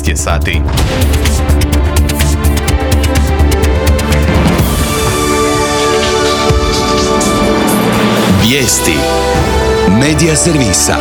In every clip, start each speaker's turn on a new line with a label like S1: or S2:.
S1: 12 je sati.
S2: Vijesti Medija servisa.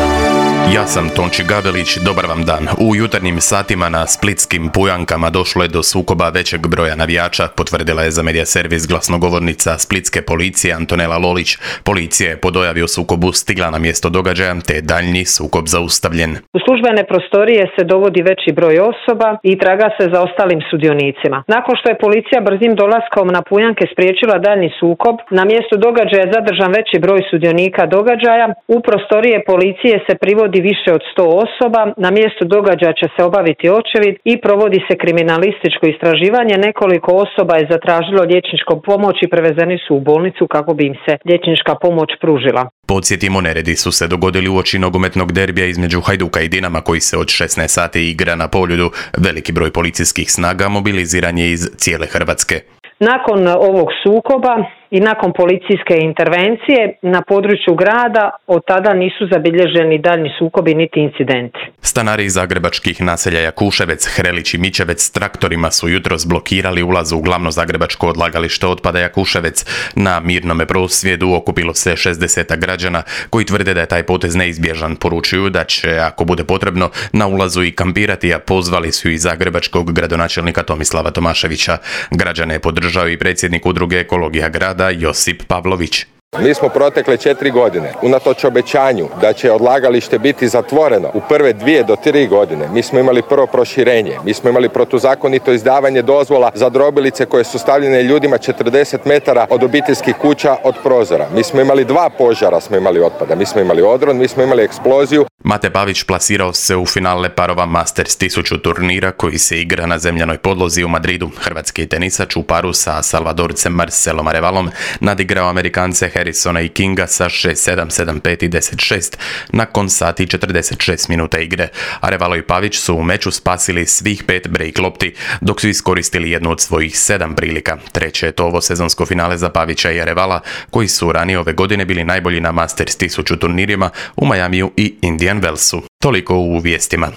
S1: Ja sam Tonči Gabelić, dobar vam dan. U jutarnjim satima na splitskim Pujankama došlo je do sukoba većeg broja navijača, potvrdila je za Medija servis glasnogovornica splitske policije Antonela Lolić. Policija je po dojavi o sukobu stigla na mjesto događaja, te je daljnji sukob zaustavljen.
S3: U službene prostorije se dovodi veći broj osoba i traga se za ostalim sudionicima. Nakon što je policija brzim dolaskom na Pujanke spriječila daljnji sukob, na mjestu događaja je zadržan veći broj sudionika događaja. U prostorije policije se privodi više od 100 osoba, na mjestu događaja će se obaviti očevid i provodi se kriminalističko istraživanje. Nekoliko osoba je zatražilo liječničku pomoć i prevezeni su u bolnicu kako bi im se liječnička pomoć pružila.
S1: Podsjetimo, neredi su se dogodili uoči nogometnog derbija između Hajduka i Dinama koji se od 16 sati igra na Poljudu. Veliki broj policijskih snaga mobiliziran je iz cijele Hrvatske.
S3: Nakon ovog sukoba i nakon policijske intervencije na području grada od tada nisu zabilježeni daljnji sukobi niti incidenti.
S1: Stanari iz zagrebačkih naselja Jakuševec, Hrelić i Mičevec s traktorima su jutros blokirali ulaz u glavno zagrebačko odlagalište otpada Jakuševec. Na mirnome prosvjedu okupilo se 60 građana koji tvrde da je taj potez neizbježan. Poručuju da će, ako bude potrebno, na ulazu i kampirati, a pozvali su i zagrebačkog gradonačelnika Tomislava Tomaševića. Građane je podržao i predsjednik udruge Ekologija grada Josip Pavlović.
S4: Mi smo protekle 4 godine, unatoč obećanju da će odlagalište biti zatvoreno u prve 2 do 3 godine, mi smo imali prvo proširenje, mi smo imali protuzakonito izdavanje dozvola za drobilice koje su stavljene ljudima 40 metara od obiteljskih kuća od prozora. Mi smo imali 2 požara, smo imali otpada, mi smo imali odron, mi smo imali eksploziju.
S1: Mate Pavić plasirao se u finale parova Masters 1000 turnira koji se igra na zemljanoj podlozi u Madridu. Hrvatski tenisač u paru sa Salvadorcem Marcelom Arevalom nadigrao Amerikance Harrisona i Kinga sa 6-7, 7-5 i 10-6 nakon sati 46 minuta igre. Arevalo i Pavić su u meču spasili svih 5 break lopti, dok su iskoristili jednu od svojih 7 prilika. Treće je to ovo sezonsko finale za Pavića i Arevala, koji su ranije ove godine bili najbolji na Masters 1000 turnirima u Majamiju i Indian Wellsu. Toliko u vijestima.